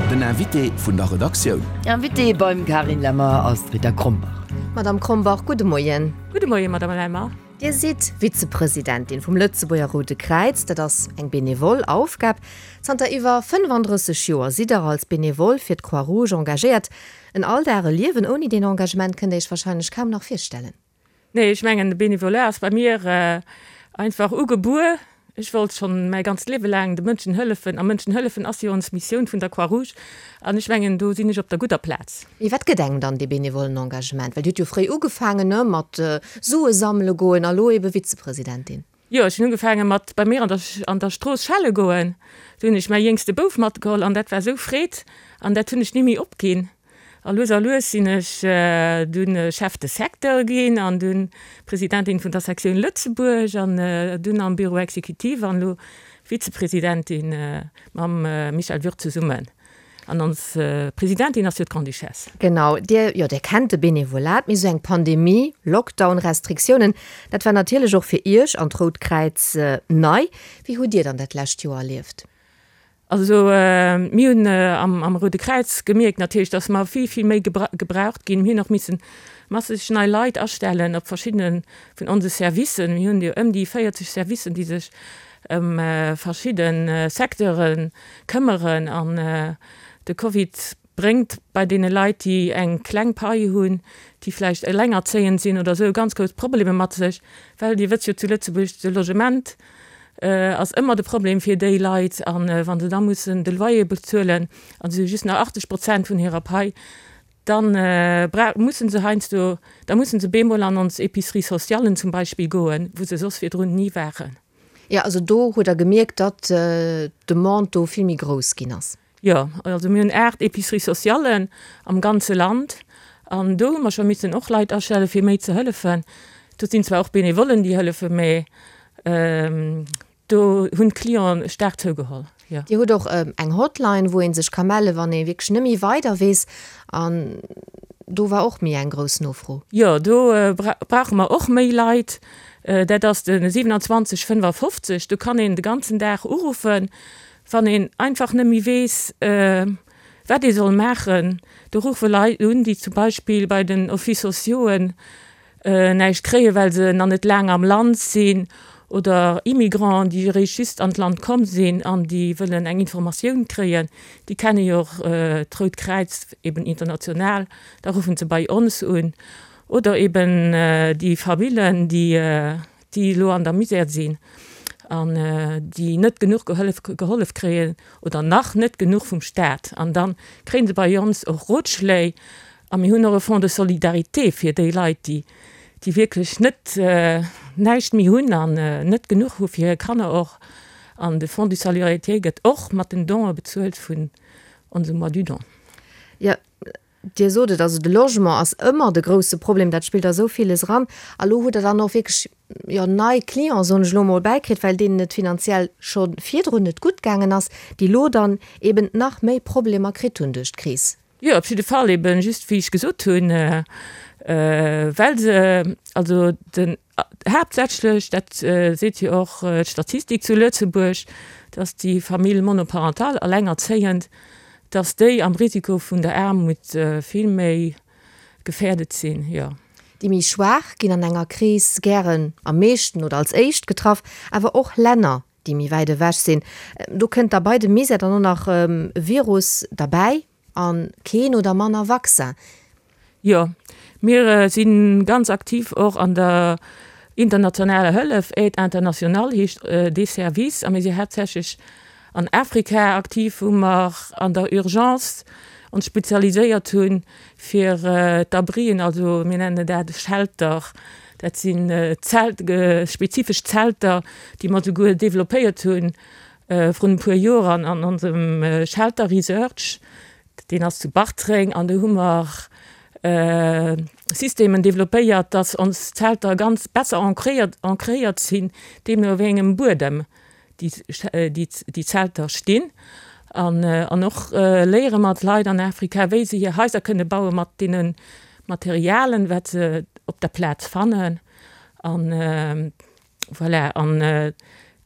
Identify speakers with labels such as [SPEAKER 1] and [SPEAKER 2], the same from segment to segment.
[SPEAKER 1] Den Invité vun der Redaktioun.
[SPEAKER 2] Invitée beim Carine Lemmer ass d'Rita Krombach.
[SPEAKER 3] Madame Krombach, gudde Moien.
[SPEAKER 4] Gudde Moien, Madame Lemmer.
[SPEAKER 3] Dir sidd Vizepresidentin vum Lëtzebuerger Roude Kräiz. Dat ass eng benevol Aufgab. Zanter iwwer 35 Joer sidd Der als Benevol fir d'Croix-Rouge engagéiert. En Alldag, e Liewen ouni deen Engagement kënnt Der Iech warscheinlech kaum nach virstellen.
[SPEAKER 4] Nee, ech mengen de Bénévolat ass bei mir einfach ugebuer. Ech wollt schonn mäi ganzt Liewe laang de Mënschen hëllefen a Mënschen hëllefen ass jo ons Missioun vun der Croix-Rouge an ech mengen do sinn ech op der gudder Plaz.
[SPEAKER 3] Mee wat gëtt engem dann dee benevollen Engagement? Well Dir hutt jo fréi ugefaangen, ne, mat Sue sammele goen a lo ebe Vizepresidentin.
[SPEAKER 4] Jo, ech hunn ugefaange mat bei mir an der an der Strooss schelle goen. Do hunn ech mäi jéngste Bouf matgeholl an dat war esou Freed an dat hunn ech ni méi opginn. A lues a lues sinn ech dunn Chef de secteur ginn an dunn Presidentin vun der Sektioun Lëtzebuerg an dunn am Bureau exécutif an elo Vizepresidentin mam Michel Würth zesummen. An ons Presidentin ass jo d'Grande-Duchesse.
[SPEAKER 3] Genau, Dir, jo, Dir kennt de Benevolat, mee esou eng Pandemie, Lockdown, Restriktiounen, dat war natierlech och fir Iech an d'Rout Kräiz nei. Wéi hutt Dir dann dat lescht Joer erlieft?
[SPEAKER 4] Also mir hunn am Roude Kräiz gemierkt natierlech, datt mer vill, vill méi gebraucht ginn. Mir hunn och missen masseg nei Leit astellen op verschiddene vun onse Servicen. Mir hunn jo ëm déi 40 Servicen, déi sech ëm verschidde Secteure këmmeren. An de Covid bréngt bei deene Leit, déi eng kleng Pai hunn, déi vläicht elengerzéiend sinn oder esou, ganz grouss Problemer mat sech, well Dir wësst jo zu Lëtzebuerg, de Logement ass ëmmer de Problem fir déi Leit an wa se da mussen de Loyer bezuelen an se hu just nach 80 Prozent vun hirer Pai, dann mussen se heiansdo, da mussen se bemol an ons Épiceries socialen zum Beispill goen, wou se soss virdrun ni waren.
[SPEAKER 3] Jo, also do hutt Der gemierkt, datt d'Demande do vill méi grouss ginn ass.
[SPEAKER 4] Jo, also mir hunn 8 Épiceries socialen am ganze Land an do hu mer scho missen och Leit astelle fir méi ze hëllefen. Do sinn zwar och Benevollen déi hëllefen, mä do hunn d'Clienten staark zougeholl,
[SPEAKER 3] jo. Dir hutt och eng Hotline, wou ee sech ka mellen, wann ee wierklech net méi weider weess an do war och méi eng grouss Nofro.
[SPEAKER 4] Jo, do brauche mer och méi Leit. Dat ass de 27 55. Do kann een de ganzen Dag uruffen. Wann een einfach net méi weess, wat ee soll maachen, do ruffe Leit un, déi zum Beispill bei den Offices sociauxen näischt kréien, well se nach net laang am Land sinn, oder Immigranten, déi eréischt just an d'Land komm sinn an déi wëllen eng Informatioun kréien. Déi kenne jo och d'Rout Kräiz eben international, da ruffen se bei ons un. Oder eben déi Famillen, déi déi elo an der Misär sinn an déi net genuch gehollef gehollef kréien oder nach net genuch vum Staat. An da kréie se bei ons och Rotschléi a mir hunn och e Fonds de solidarité fir déi Leit, déi déi wierklech net näischt méi hunn an net genuch hu fir hir Kanner och. An de Fonds de solidarité gëtt och mat den Donë bezuelt vun onsem Mois du don.
[SPEAKER 3] Jo, Dir sot et, also de Logement ass ëmmer de grousse Problem, dat spillt a sou villes eran. A lo hutt Der dann och wierklech, jo, nei Clienten, soen ech elo emol, bäikritt, well deenen et finanziell scho virdrun net gutt gaangen ass, déi lo dann eben nach méi Problemer kritt hunn duerch d'Kris.
[SPEAKER 4] Jo, op jidde Fall, eben just wéi ech gesot hunn, well se, also den, haaptsächlech, dat seet jo och d'Statistik zu Lëtzebuerg, dass déi Famille monoparentale, allengerzéiend, dass déi am Risiko vun der Aarmut vill méi gefährdet sinn, jo.
[SPEAKER 3] Déi méi schwaach ginn an enger Kris gären am meeschten oder als éischt getraff, awer och Länner, déi méi wäit ewech sinn. Do kënnt da bei dem Misär dann och nach e Virus derbäi a keen oder manner Vaccin.
[SPEAKER 4] Jo, mir si ganz aktiv och an der internationaler Hëllef, Aide internationale heescht dee Service, a mir si haaptsächlech an Afrika aktiv, wou mer an der Urgence ons spezialiséiert hu fir d'Abrien, also mir nennen dat Shelter, dat sinn Zelt, spezifesch Zelter, déi mer souguer developpéiert hu vrun e puer Joer an onsem Shelter Research. Deen ass zu Bartreng an do hu mer Systemen developpéiert, dass ons Zelter ganz besser ancréiert, ancréiert sinn, deemno wéi engem Buedem déi Zelter stinn. An, an och léiere mer d'Leit an Afrika, wéi se hir Haiser kënne baue mat deene Materialen, wat se op der Plaz fannen. An voilà, an.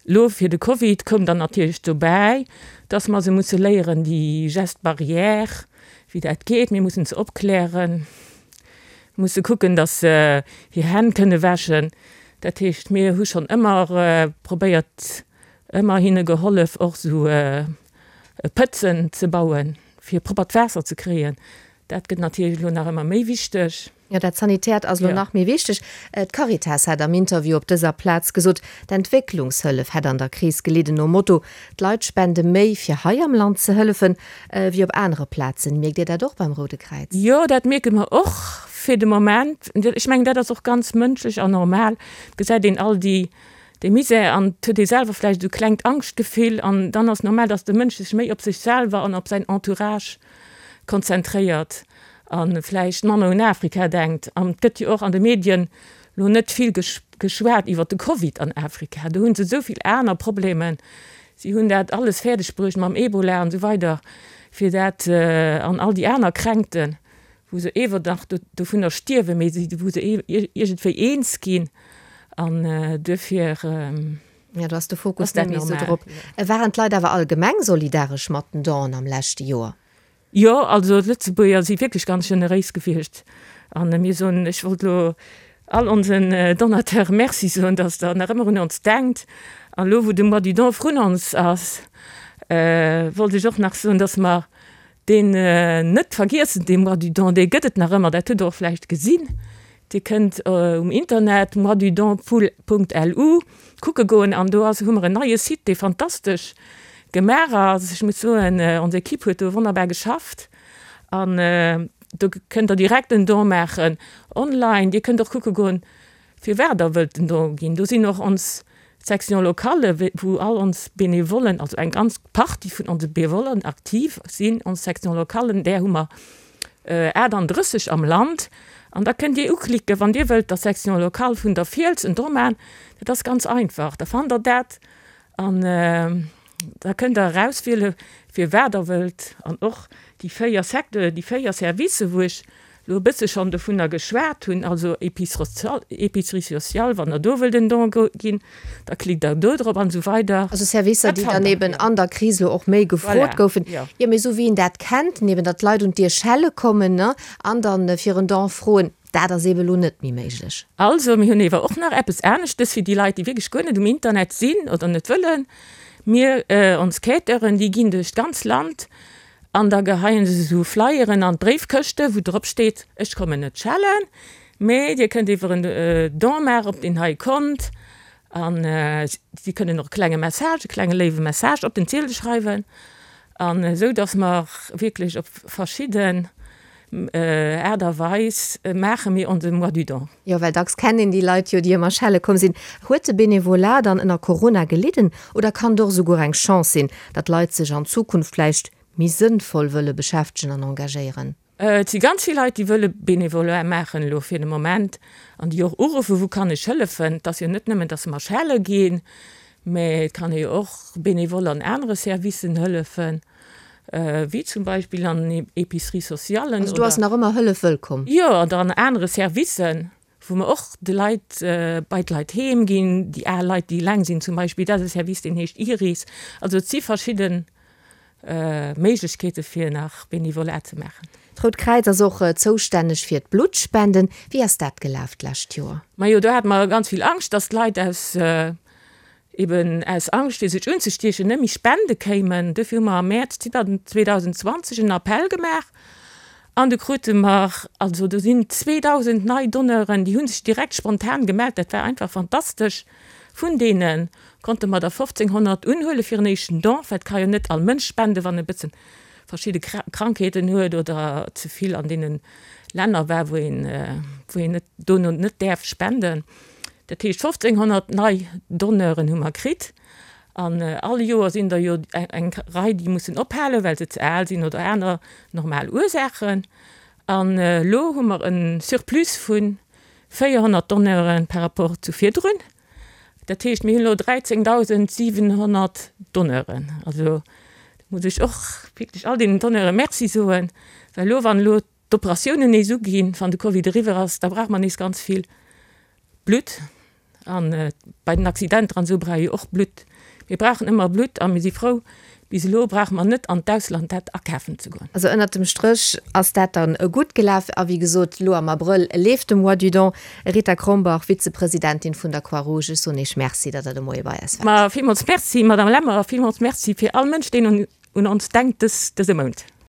[SPEAKER 4] Lo fir de Covid koum dann natierlech dobäi, dass mer se musse léieren, déi Gestes barrières, wéi dat geet. Mir mussen se opklären, musse kucken, dass se hir Hänn kënne wäschen. Dat heescht, mir hu schonn ëmmer probéiert, ëmmer hinne gehollef, och esou Pëtzen ze bauen, fir proppert Waasser ze kréien. Dat gëtt natierlech elo nach ëmmer méi wichteg.
[SPEAKER 3] Jo, dat Sanitäert ass elo nach méi wichteg. D'Caritas hat am Interview op dëser Plaz gesot, d'Entwécklungshëllef hätt an der Kris gelidden, nom Motto, d'Leit spende méi, fir hei am Land ze hëllefen, wéi op anere Plazen. Mierkt Dir dat och beim Roude Kräiz?
[SPEAKER 4] Jo, dat mierke mer och fir de Moment. Ech mengen, dat ass och ganz mënschlech an normal. Et gesäit een all déi, dee Misär an et huet ee selwer vläicht esou e klengt Angschtgefill an dann ass normal, datt de Mënsch sech méi op sech selwer an op säin Entourage konzentréiert a vläicht manner un Afrika denkt. An et gëtt jo och an de Medien lo net vill geschwat iwwer de Covid an Afrika. Do hu se esou vill aner Problemen. Si hunn dat alles fäerdeg bruecht mam Ebola an esou weider, fir dat an all déi aner Kränkten, wou se ewer nach dovunner stierwen, mee wou se iergendwéi eens ginn. An duerfir.
[SPEAKER 3] Jo, do ass de Fokus net méi esou drop. Waren d'Leit awer allgemeng solidaresch mat den Donen am leschte Joer?
[SPEAKER 4] Jo, also d'Lëtzebuerger si wierklech ganz generéis gewiescht. An mir soen, ech wollt elo all onsen Donateure Merci soen, dass der nach ëmmer un ons denkt. An elo wou de Mois du Don vrun ons ass, wollt ech och nach soen, dass mer deen net vergiessen, dee Mois du Don, dee gëtt et nach ëmmer, dat hutt Der och vläicht gesinn. Dir kënnt um Internet moisdudon.lu kucke goen an do ass, hu mer en neie Site, dee fantastesch gemaach ass. Ech muss soen, ons Equipe huet do wonnerbar geschafft an do kënnt Der direkt en Don maachen online. Dir kënnt och kucke goen, firwat Der wëllt en Don ginn. Do sinn och ons Section locale, wou all ons Benevollen, also eng ganz Partie vun onse Benevollen aktiv sinn, ons Section localen, där hu mer 38 am Land. An da kënnt Dir uklicken, wann Dir wëllt der Section locale vun der Fiels en Don maachen. Dat ass ganz einfach, da fannt Der dat an da kënnt Der erauswiele fir wat Der wëllt. An och déi 4 Secteuren, déi 4 Servicen, wou ech elo e bësse schonn dovunner geschwat hunn, also Épicerie sociale, wann Der do wëllt en Don ginn, da klickt Der do drop an esou weider.
[SPEAKER 3] Also Servicer, déi dann eben an der Kris elo och méi gefrot goufen. Jo, mee esou wéi een dat kennt, eben datt d'Leit un d'Dier schelle kommen, ne, an dann fir en Don froen, dat ass eben elo net méi méiglech.
[SPEAKER 4] Also, mir hunn ewer och nach eppes aneschtes fir déi Leit, déi wierklech guer net um Internet sinn oder net wëllen. Mir, ons Quêteuren, déi ginn duerch d'ganz Land An da geheien se esou Flyeren an d'Bréifkëschte wou drop steet, ech kommen net schellen, mee dir kënnt iwwer en Don maachen op deen hei Kont. An si kënnen och e klenge Message, e klenge léiwe Message op den Ziedel schreiwen. An esou datt mer wierklech op verschidden Aart a Weis maache mir onse Mois du Don.
[SPEAKER 3] Jo, well dacks kennt een déi Leit jo, déi ëmmer schelle komm sinn. Huet de Benevolat dann ënner Corona gelidden oder kann et och esouguer eng Chance sinn, datt Leit sech an Zukunft vläicht méi sënnvoll wëlle beschäftegen an engagéieren?
[SPEAKER 4] Et si ganz vill Leit, déi wëlle Benevolat maachen elo fir de Moment an déi och uruffen, wou kann ech hëllefen. Et ass jo net nëmmen, datt mer schelle ginn, mä et kann ee jo och benevole an anere Servicen hëllefen. Wéi zum Beispill an Épiceries socialen.
[SPEAKER 3] Also do ass nach ëmmer Hëllef wëllkomm?
[SPEAKER 4] Jo, oder an anere Servicen, wou mer och de Leit, bei d'Leit heem ginn, déi al Leit, déi eleng sinn zum Beispill. Dat ass e Service, deen heescht Iris. Also et si verschidde Méiglechkeete fir nach Bénévolat ze maachen.
[SPEAKER 3] D'Rout Kräiz ass och zoustänneg fir d'Bluttspenden. Wéi ass dat gelaf d'lescht Joer?
[SPEAKER 4] Majo, do hate mer ganz vill Angscht, dass d'Leit aus eben aus Angscht fir sech unzestiechen, net méi spende kéimen. Dofir hu mer am Mäerz 2020 en Appell gemaach an du krute mer, also do sinn 2.000 nei Donneuren, déi hu sech direkt spontan gemellt, dat war einfach fantastesch. Vun deene konnte mer der 1.500 unhuele fir en éischten Don, well et ka jo net all Mënsch spenden, wann e bëssen verschidde Krankheeten huet oder ze vill an deene Länner war, wou een, wou een net dono net däerf spenden. Dat heescht 1.500 nei Donneuren hu mer kritt. An all Joer sinn der jo eng Rei, déi mussen ophalen, well se ze al sinn oder aner normal Ursaachen. An elo hu mer e Surplus vu 400 Donneuren par rapport zu virdrun. Dat heescht, mir hunn elo 13.700 Donneuren. Also do muss ech och wierklech all deenen Donneure Merci soen, well elo, wann elo d'Operatiounen nees uginn, wann de Covid eriwwer ass, da brauche mer nees ganz vill Blutt. An bei den Accidenter an esou brauch ee jo och Blutt. Mir brauchen ëmmer Blutt a mir si frou, bis elo brauche mer net an d'Ausland dat akafen ze goen.
[SPEAKER 3] Also ënnert dem Stréch ass dat dann gutt gelaf. A wéi gesot, elo am Abrëll leeft de Mois du Don. Rita Krombach, Vizepresidentin vun der Croix-Rouge, ech soen Iech Merci, datt Der de Moie bei eis waart.
[SPEAKER 4] Ma villmools Merci, Madame Lemmer, a villmools Merci fir all Mënsch, deen un ons denkt dëse Mount.